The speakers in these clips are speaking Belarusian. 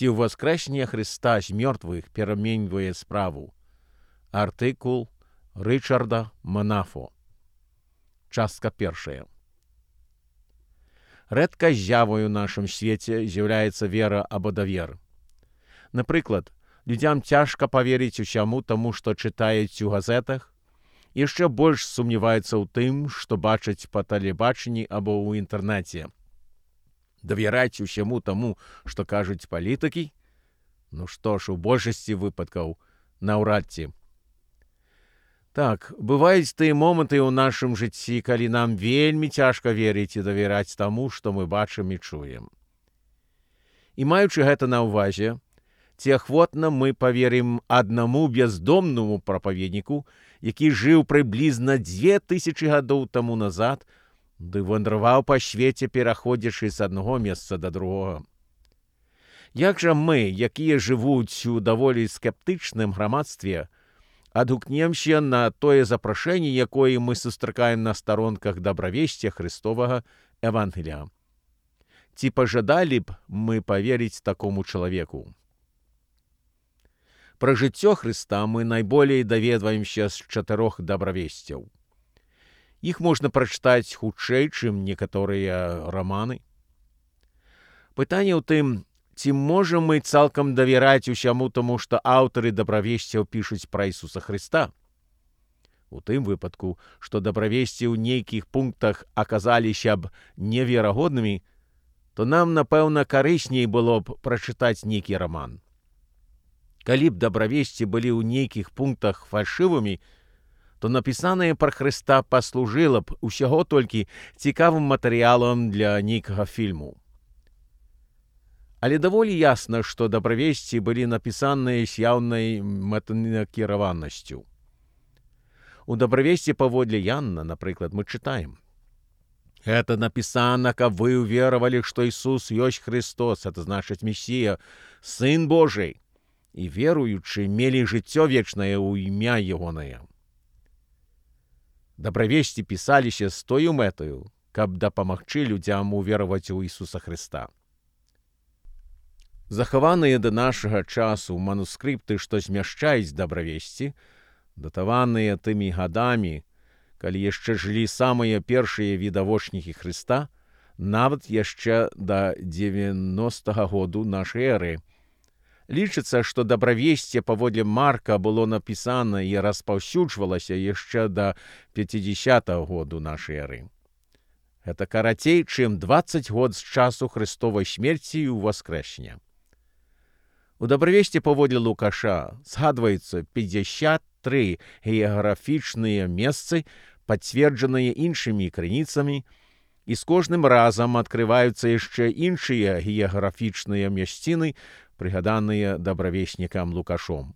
Ці ўваскрэсне Христа з мёртвых пераменьвае справу. Артыкул Рычарда Манафо. Частка першая. Рэдка з'явою ў нашым свеце з'яўляецца вера або давер. Напрыклад, людзям цяжка паверыць усяму таму, што чытаюць у газетах, яшчэ больш сумняваюцца ў тым, што бачаць па тэлебачанні або ў інтэрнэце. Давяраць усяму таму, што кажуць палітыкі? Ну што ж, у большасці выпадкаў наўрад ці. Так, бываюць тыя моманты ў нашым жыцці, калі нам вельмі цяжка верыць і давяраць таму, што мы бачым і чуем. І маючы гэта на ўвазе, ці ахвотна мы паверым аднаму бяздомнаму прапаведніку, які жыў прыблізна 2000 гадоў таму назад, ды вандраваў па свеце, пераходзячы з аднаго месца да другога. Як жа мы, якія жывуць у даволі скептычным грамадстве, адгукнемся на тое запрашэнне, якое мы сустракаем на старонках дабравесця Христовага Евангелія? Ці пажадалі б мы паверыць такому чалавеку? Пра жыццё Хрыста мы найболей даведваемся з 4 дабравесцяў. Іх можна прачытаць хутчэй, чым некаторыя раманы. Пытанне ў тым, ці можам мы цалкам давяраць усяму таму, што аўтары дабравесцяў пішуць пра Ісуса Хрыста? У тым выпадку, што дабравесці ў нейкіх пунктах аказаліся б неверагоднымі, то нам, напэўна, карысней было б прачытаць нейкі раман. Калі б дабравесці былі ў нейкіх пунктах фальшывымі, то напісанае пра Хрыста паслужыла б усяго толькі цікавым матэрыялам для нейкага фільму. Але даволі ясна, што дабравесці былі напісаныя з яўнай мэтанакіраванасцю. У дабравесці паводле Янна, напрыклад, мы чытаем: «Гэта напісана, каб вы ўверавалі, што Ісус ёсць Христос, это значыць Месія, Сын Божий, і веруючы мелі жыццё вечнае ў імя Ягонае». Дабравесці пісаліся з тою мэтаю, каб дапамагчы людзям увераваць у Ісуса Хрыста. Захаваныя да нашага часу манускрыпты, што змяшчаюць дабравесці, датаваныя тымі гадамі, калі яшчэ жылі самыя першыя відавочнікі Хрыста, нават яшчэ да 90-го году нашай эры. Лічыцца, што дабравесце паводле Марка было напісана і распаўсюджвалася яшчэ да 50-го году нашай эры. Гэта карацей, чым 20 год з часу Христовай смерці і ўваскрэсення. У дабравесці паводле Лукаша згадваюцца 53 геаграфічныя месцы, пацверджаныя іншымі крыніцамі, і з кожным разам адкрываюцца яшчэ іншыя геаграфічныя мясціны, прыгаданыя дабравеснікам Лукашом.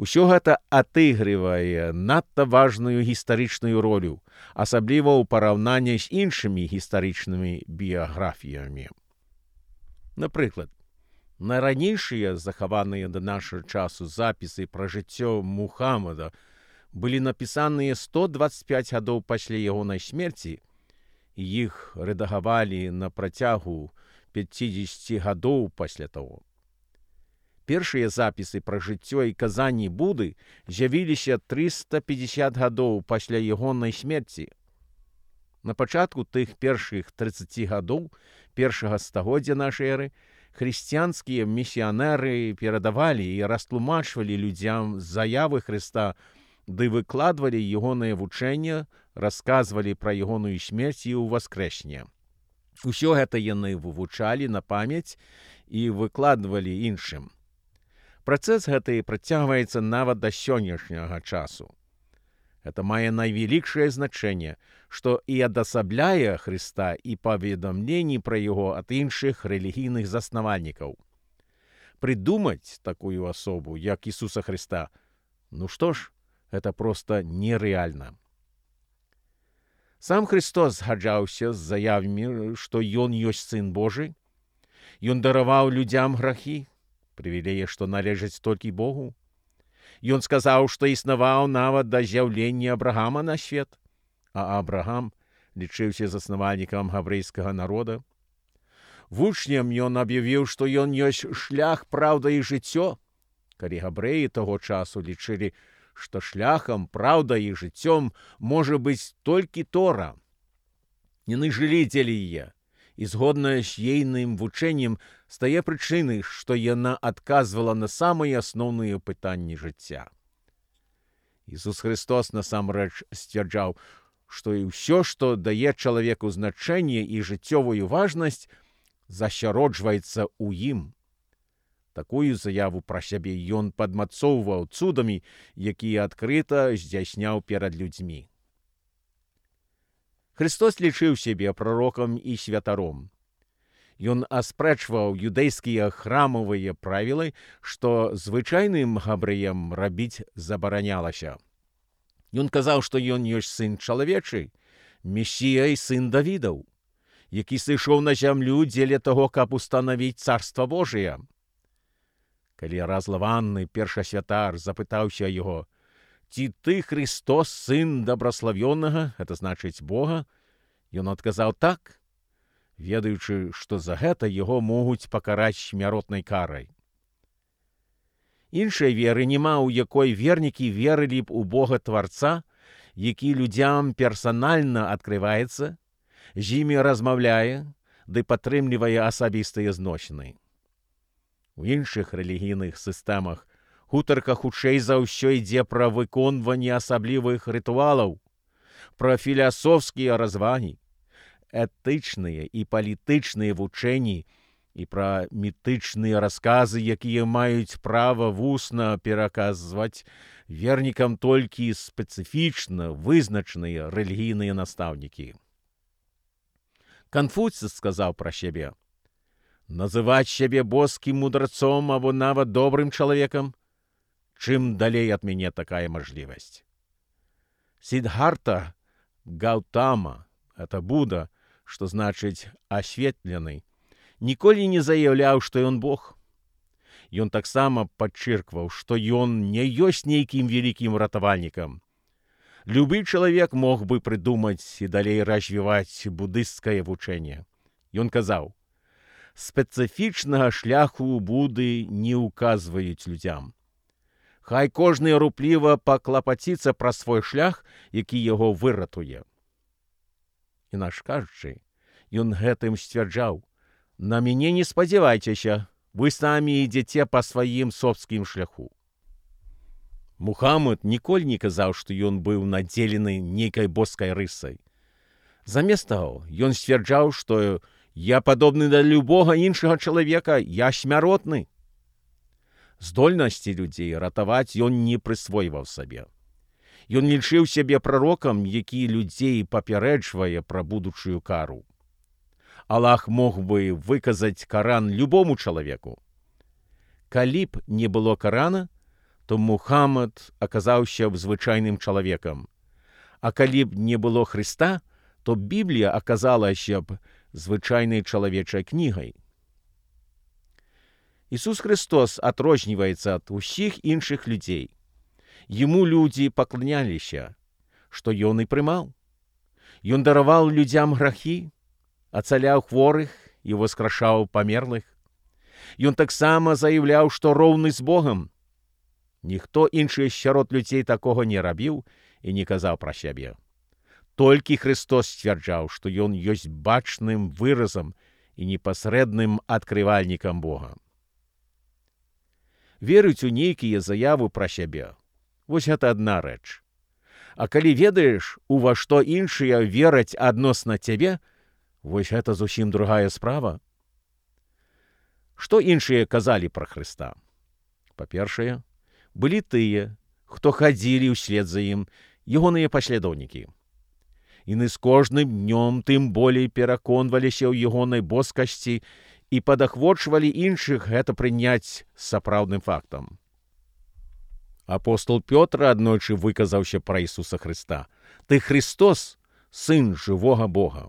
Усё гэта атыгрывае надта важную гістарычную ролю, асабліва ў параўнанні з іншымі гістарычнымі біяграфіямі. Напрыклад, найранейшыя захаваныя да нашага часу запісы пра жыццё Мухаммада былі напісаныя 125 гадоў пасля ягонай смерці, і іх рэдагавалі на працягу 50 гадоў пасля таго. Першыя запісы пра жыццё і казанні Буды з'явіліся 350 гадоў пасля ягонай смерці. На пачатку тых першых 30 гадоў першага стагоддзя нашай эры хрысціянскія місіянеры перадавалі і растлумачвалі людзям заявы Хрыста, ды выкладвалі ягонае вучэнне, расказвалі пра ягоную смерць і ўваскрэсне. Усё гэта яны вывучалі на памяць і выкладвалі іншым. Працэс гэты працягваецца нават да сённяшняга часу. Гэта мае найвялікшае значэнне, што і адасабляе Хрыста і паведамленні пра яго ад іншых рэлігійных заснавальнікаў. Прыдумаць такую асобу, як Ісуса Хрыста, ну што ж, гэта проста нерэальна. Сам Христос згаджаўся з заявамі, што Ён ёсць Сын Божы, Ён дараваў людзям грахі, прывілеі, што належаць толькі Богу. Ён сказаў, што існаваў нават да з'яўлення Абрагама на свет, а Абрагам лічыўся заснавальнікам габрэйскага народа. Вучням ён аб'явіў, што ён ёсць шлях, праўда і жыццё, калі габрэі таго часу лічылі, што шляхам, праўдай і жыццём можа быць толькі Тора. Яны жылі дзеля яе, і згодна з ейным вучэннем стае прычынай, што яна адказвала на самыя асноўныя пытанні жыцця. Ісус Христос насамрэч сцвярджаў, што і ўсё, што дае чалавеку значэнне і жыццёвую важнасць, засяроджваецца ў ім. Такую заяву пра сябе ён падмацоўваў цудамі, якія адкрыта здзяйсняў перад людзьмі. Христос лічыў сябе прарокам і святаром. Ён аспрэчваў юдэйскія храмавыя правілы, што звычайным габрэям рабіць забаранялася. Ён казаў, што ён ёсць сын чалавечы, Месія і сын Давідаў, які сышоў на зямлю дзеля таго, каб устанавіць царства Божие. Калі разлаваны першасвятар запытаўся яго: «Ці ты Христос, сын дабраславёнага, гэта значыць Бога?» Ён адказаў так, ведаючы, што за гэта яго могуць пакараць смяротнай карай. Іншай веры няма, у якой вернікі верылі б у Бога Тварца, які людзям персанальна адкрываецца, з імі размаўляе ды падтрымлівае асабістыя зносіны. У іншых рэлігійных сістэмах гутарка хутчэй за ўсё ідзе пра выконванне асаблівых рытуалаў, пра філасофскія развагі, этычныя і палітычныя вучэнні і пра мітычныя расказы, якія маюць права вусна пераказваць вернікам толькі спецыфічна вызначаныя рэлігійныя настаўнікі. Канфуцый сказаў пра сябе: «Называць сябе боскім мудрацом або нават добрым чалавекам? Чым далей ад мяне такая мажлівасць?» Сиддхартха Гаутама, это Будда, што значыць асветлены, ніколі не заяўляў, што ён Бог. Ён таксама падчыркваў, што ён не ёсць нейкім вялікім ратавальнікам. Любы чалавек мог бы прыдумаць і далей развіваць будысцкае вучэнне. Ён казаў: «Спецыфічнага шляху Будды не ўказваюць людзям. Хай кожны рупліва паклапаціцца пра свой шлях, які яго выратуе». Інакш кажучы, ён гэтым сцвярджаў: «На мяне не спадзявайцеся, вы самі ідзеце па сваім собскім шляху». Мухаммад ніколі не казаў, што ён быў надзелены нейкай боскай рысай. Замест таго, ён сцвярджаў, што «я падобны да любога іншага чалавека, я смяротны». Здольнасці людзей ратаваць ён не прысвойваў сабе. Ён лічыў сябе прарокам, які людзей папярэджвае пра будучую кару. Аллах мог бы выказаць Каран любому чалавеку. Калі б не было Карана, то Мухаммад аказаўся б звычайным чалавекам. А калі б не было Хрыста, то Біблія аказалася б звычайнай чалавечай кнігай. Ісус Христос адрозніваецца ад усіх іншых людзей. Яму людзі пакланяліся, што ён і прымаў. Ён дараваў людзям грахі, ацаляў хворых і воскрашаў памерлых. Ён таксама заяўляў, што роўны з Богам. Ніхто іншы сярод людзей такога не рабіў і не казаў пра сябе. Толькі Христос сцвярджаў, што ён ёсць бачным выразам і непасрэдным адкрывальнікам Бога. Верыць у нейкія заявы пра сябе – вось гэта адна рэч. А калі ведаеш, у ва што іншыя вераць адносна цябе, вось гэта зусім другая справа. Што іншыя казалі пра Хрыста? Па-першае, былі тыя, хто хадзілі ўслед за ім, ягоныя паслядоўнікі. Яны з кожным днём тым болей пераконваліся ў ягонай боскасці і падахвочвалі іншых гэта прыняць сапраўдным фактам. Апостол Пётр аднойчы выказаўся пра Ісуса Хрыста: «Ты Христос, сын жывога Бога».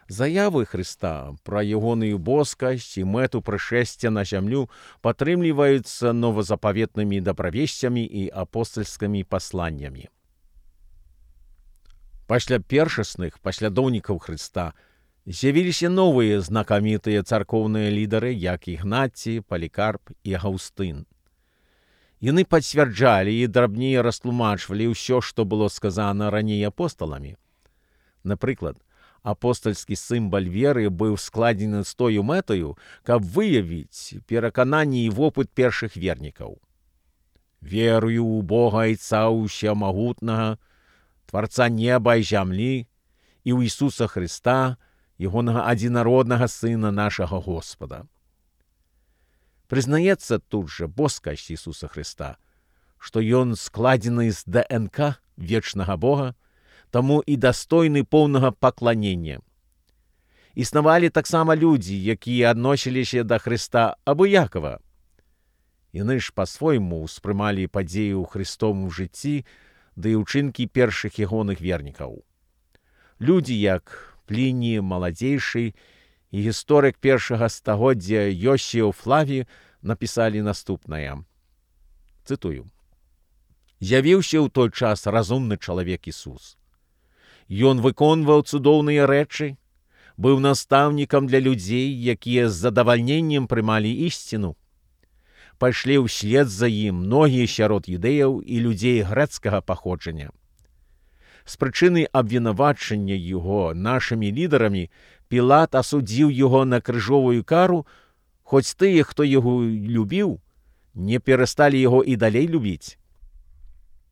Заявы Хрыста пра ягоную боскасць і мэту прышэсця на зямлю падтрымліваюцца новазапаветнымі дабравесцямі і апостальскімі пасланнямі. Пасля першасных паслядоўнікаў Хрыста З'явіліся новыя знакамітыя царкоўныя лідары, як Ігнацій, Палікарп і Агаўстын. Яны пацвярджалі і драбней растлумачвалі ўсё, што было сказана раней апосталамі. Напрыклад, апостальскі сімвал веры быў складзены з тою мэтаю, каб выявіць перакананні і вопыт першых вернікаў. «Верую ў Бога Айца Усямагутнага, Тварца неба і зямлі, і ў Ісуса Христа, Ягонага адзінароднага Сына нашага Господа». Прызнаецца тут жа боскасць Ісуса Христа, што Ён складзены з ДНК вечнага Бога, таму і дастойны поўнага пакланення. Існавалі таксама людзі, якія адносіліся да Христа абыякава. Яны ж па-свойму ўспрымалі падзеі ў Христовым жыцці ды і ўчынкі першых ягоных вернікаў. Людзі, як Пліній Маладзейшы і гісторык першага стагоддзя Йосіў Флаві напісалі наступнае. Цытую. «З'явіўся ў той час разумны чалавек Ісус. Ён выконваў цудоўныя рэчы, быў настаўнікам для людзей, якія з задавальненнем прымалі ісціну. Пайшлі ўслед за ім многія сярод юдэяў і людзей грэцкага паходжання. З прычыны абвінавачання яго нашымі лідарамі Пілат асудзіў яго на крыжовую кару, хоць тыя, хто яго любіў, не перасталі яго і далей любіць.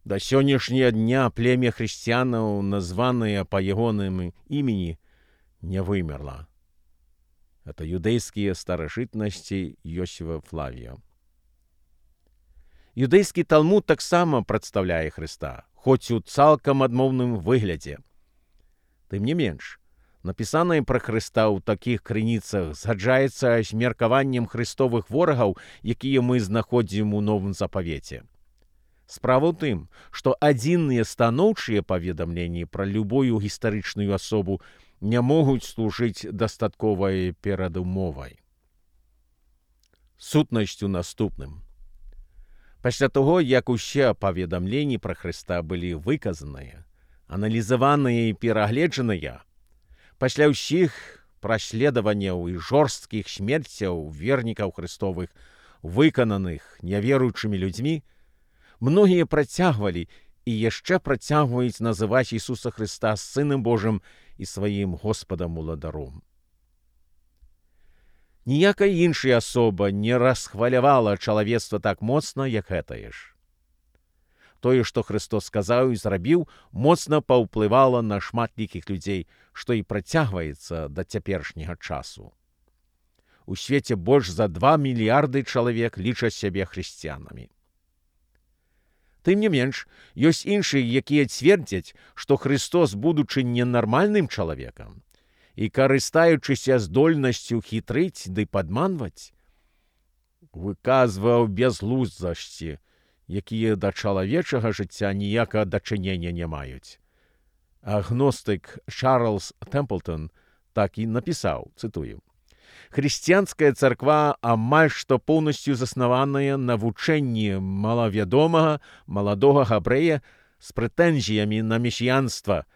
Да сённяшняга дня племя хрысціянаў, названае па ягоным імені, не вымерла. Это юдэйскія старажытнасці Йосіфа Флавія. Юдэйскі Талмуд таксама прадстаўляе Хрыста, хоць у цалкам адмоўным выглядзе. Тым не менш, напісанае пра Хрыста ў такіх крыніцах згаджаецца з меркаваннем хрыстовых ворагаў, якія мы знаходзім у Новым Запавеце. Справа ў тым, што адзіныя станоўчыя паведамленні пра любую гістарычную асобу не могуць служыць дастатковай перадумовай. Сутнасць у наступным. Пасля таго, як усе паведамленні пра Хрыста былі выказаныя, аналізаваныя і перагледжаныя, пасля ўсіх праследаванняў і жорсткіх смерцяў вернікаў Хрыстовых, выкананых няверуючымі людзьмі, многія працягвалі і яшчэ працягваюць называць Ісуса Хрыста Сынам Божым і сваім Господам-уладаром. Ніякая іншая асоба не расхвалявала чалавецтва так моцна, як гэтае ж. Тое, што Христос сказаў і зрабіў, моцна паўплывала на шматлікіх людзей, што і працягваецца да цяперашняга часу. У свеце больш за 2 мільярды чалавек лічаць сябе хрысціянамі. Тым не менш, ёсць іншыя, якія цвердзяць, што Христос, будучы ненармальным чалавекам, і карыстаючыся здольнасцю хітрыць ды падманваць, выказваў бязглуздасці, якія да чалавечага жыцця ніякага дачынення не маюць. Агностык Чарльз Тэмплтон так і напісаў, цытую: «Хрысціянская царква амаль што поўнасцю заснаваная на вучэнні малавядомага маладога габрэя з прэтэнзіямі на месіянства,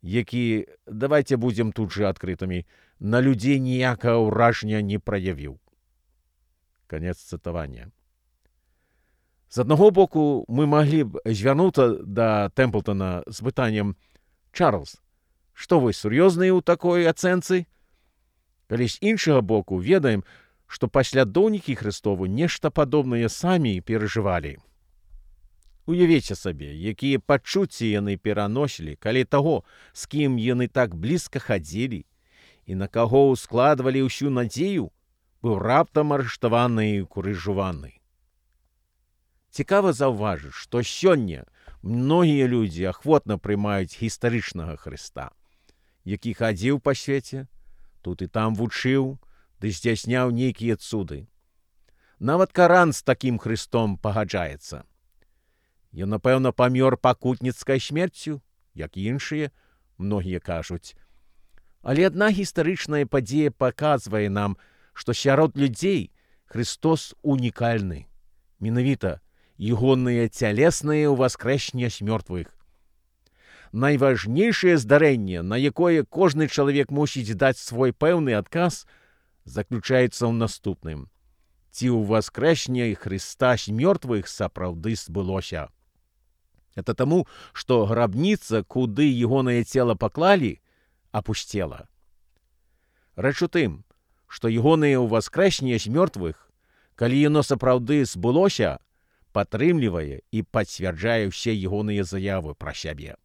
які, давайте будзем тут жа адкрытымі, на людзей ніякага ўражання не праявіў». Канец цытавання. З аднаго боку, мы маглі б звярнуцца да Тэмплтона з пытаннем: «Чарльз, што вы сур'ёзныя ў такой ацэнцы?» Калі з іншага боку, ведаем, што паслядоўнікі Хрыстову нешта падобнае самі перажывалі. Уявіце сабе, якія пачуцці яны пераносілі, калі таго, з кім яны так блізка хадзілі і на каго ўскладвалі ўсю надзею, быў раптам арыштаваны і крыжаваны. Цікава заўважыць, што сёння многія людзі ахвотна прымаюць гістарычнага Хрыста, які хадзіў па свеце, тут і там вучыў, ды здзяйсняў нейкія цуды. Нават Каран з такім Хрыстом пагаджаецца. Ён, напэўна, памёр пакутніцкай смерцю, як і іншыя, многія кажуць. Але адна гістарычная падзея паказвае нам, што сярод людзей Христос унікальны. Менавіта ягоныя цялесныя ўваскрэсення з мёртвых. Найважнейшае здарэнне, на якое кожны чалавек мусіць даць свой пэўны адказ, заключаецца ў наступным. Ці ўваскрэсне Хрыста з мёртвых сапраўды збылося? Это таму, што грабніца, куды ягонае цела паклалі, апусцела. Рэч у тым, што ягонае ўваскрэсне з мёртвых, калі яно сапраўды збылося, падтрымлівае і пацвярджае ўсе ягоныя заявы пра сябе.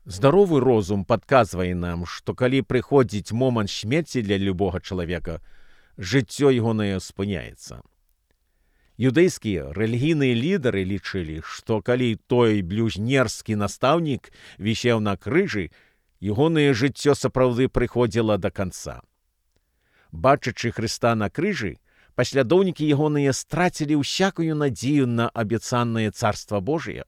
Здаровы розум падказвае нам, што калі прыходзіць момант смерці для любога чалавека, жыццё ягонае спыняецца. Юдэйскія рэлігійныя лідары лічылі, што калі той блюзнерскі настаўнік вісеў на крыжы, ягонае жыццё сапраўды прыходзіла да канца. Бачачы Хрыста на крыжы, паслядоўнікі ягоныя страцілі ўсякую надзею на абяцанае царства Божие.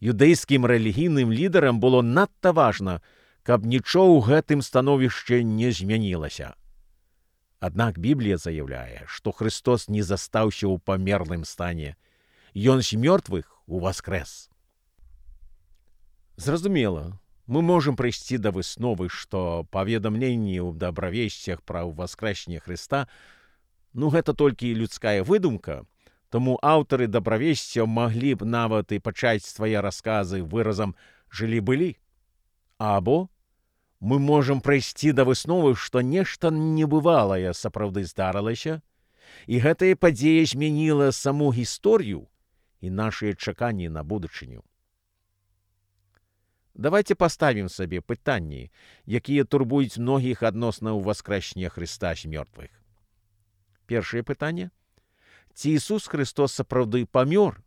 Юдэйскім рэлігійным лідарам было надта важна, каб нічого ў гэтым становішчы не змянілася. Аднак Біблія заяўляе, што Хрыстос не застаўся ў памерлым стане. Ён з мёртвых уваскрэс. Зразумела, мы можам прыйсці да высновы, што паведамленні ў дабравесцях пра ўваскрэсне Хрыста, гэта толькі людская выдумка, таму аўтары дабравесцяў маглі б нават і пачаць свае расказы выразам «жылі-былі». Або мы можам прыйсці да высновы, што нешта небывалае сапраўды здарылася, і гэтая падзея змяніла саму гісторыю і нашыя чаканні на будучыню. Давайце паставім сабе пытанні, якія турбуюць многіх адносна ўваскрэсня Хрыста з мёртвых. Першае пытанне. Ці Ісус Христос сапраўды памёр?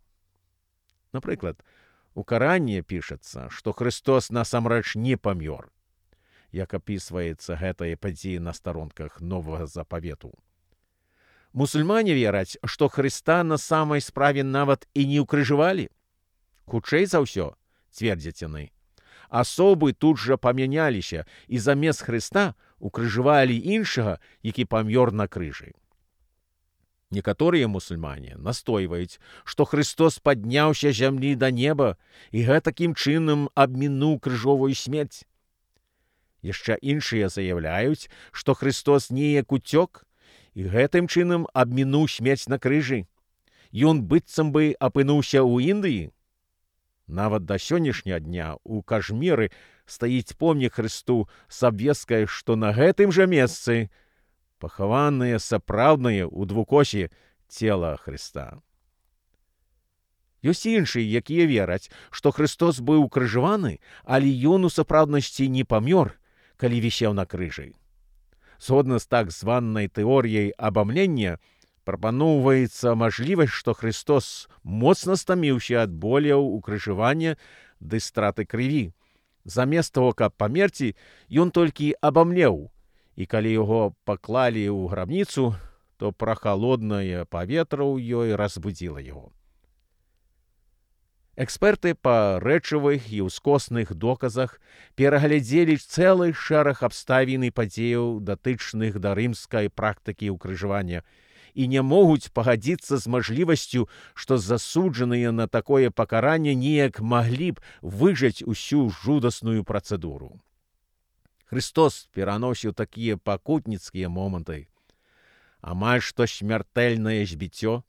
Напрыклад, у Каране пішацца, што Христос насамрэч не памёр, як апісваецца гэтая падзея на старонках Новага Запавету. Мусульмане вераць, што Хрыста на самай справе нават і не ўкрыжавалі. Хутчэй за ўсё, цвердзяць яны, асобы тут жа памяняліся і замест Хрыста ўкрыжавалі іншага, які памёр на крыжы. Некаторыя мусульмане настойваюць, што Христос падняўся з зямлі да неба і гэтакім чынам абмінуў крыжовую смерць. Яшчэ іншыя заяўляюць, што Христос неяк уцёк і гэтым чынам абмінуў смерць на крыжы. Ён быццам бы апынуўся ў Індыі. Нават да сённяшняга дня ў Кажміры стаіць помнік Хрысту з абвесткай, што на гэтым жа месцы пахаванае сапраўднае ў двукосе цела Хрыста. Ёсць іншыя, якія вераць, што Христос быў укрыжаваны, але ён у сапраўднасці не памёр, калі вісеў на крыжы. Згодна з так званай тэорыяй абамлення, прапаноўваецца мажлівасць, што Христос моцна стаміўся ад боляў укрыжавання ды страты крыві. Замест таго, каб памерці, ён толькі абамлеў, і калі яго паклалі ў грабніцу, то прахалоднае паветра ў ёй разбудзіла яго. Эксперты па рэчавых і ўскосных доказах пераглядзелі цэлы шэраг абставін і падзеяў, датычных да рымскай практыкі ўкрыжавання, і не могуць пагадзіцца з мажлівасцю, што засуджаныя на такое пакаранне неяк маглі б выжыць усю жудасную працэдуру. Христос пераносіў такія пакутніцкія моманты, амаль што смяртэльнае збіццё,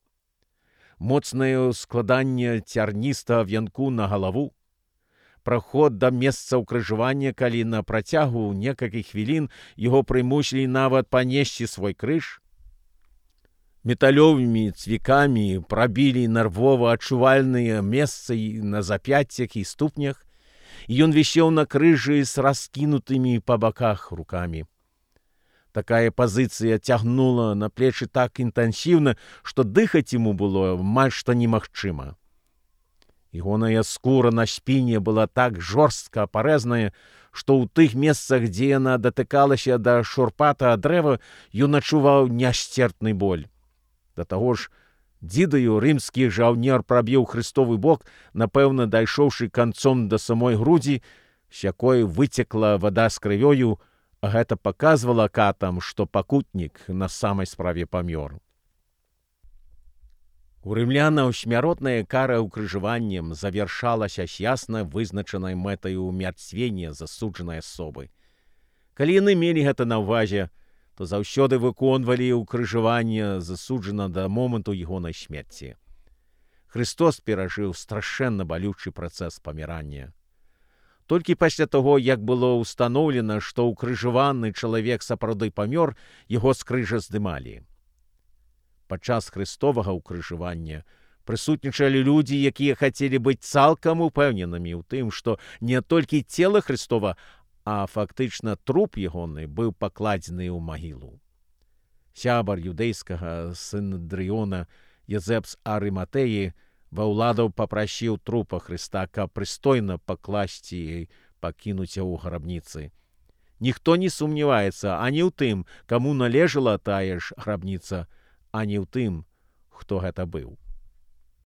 моцнае складанне цярністага вянку на галаву, праход да месца ўкрыжавання, калі на працягу некалькіх хвілін яго прымусілі нават панесці свой крыж, металёвымі цвікамі прабілі нервова адчувальныя месцы на запяццях і ступнях, і ён вісеў на крыжы з раскінутымі па баках рукамі. Такая пазіцыя цягнула на плечы так інтэнсіўна, што дыхаць яму было амаль што немагчыма. Ягоная скура на спіне была так жорстка парэзаная, што ў тых месцах, дзе яна датыкалася да шурпатага дрэва, ён адчуваў нясцерпны боль. Да таго ж, дзідаю рымскі жаўнер прабіў Христовы бок, напэўна, дайшоўшы канцом да самой грудзі, з якой выцекла вада з крывёю, а гэта паказвала катам, што пакутнік на самай справе памёр. У рымлянаў смяротная кара ўкрыжаваннем завяршалася з ясна вызначанай мэтаю умярцвення засуджанай асобы. Калі яны мелі гэта на ўвазе, то заўсёды выконвалі ўкрыжаванне засуджана да моманту ягонай смерці. Христос перажыў страшэнна балючы працэс памірання. Толькі пасля таго, як было ўстаноўлена, што ўкрыжаваны чалавек сапраўды памёр, яго з крыжа здымалі. Падчас хрыстовага ўкрыжавання прысутнічалі людзі, якія хацелі быць цалкам упэўненымі ў тым, што не толькі цела Христова, а фактычна труп ягоны быў пакладзены ў магілу. Сябар юдэйскага сінедрыёна Езэп з Арыматэі ва ўладаў папрасіў трупа Хрыста, каб прыстойна пакласці і пакінуць яго ў грабніцы. Ніхто не сумняваецца ані ў тым, каму належала тая ж грабніца, ані ў тым, хто гэта быў.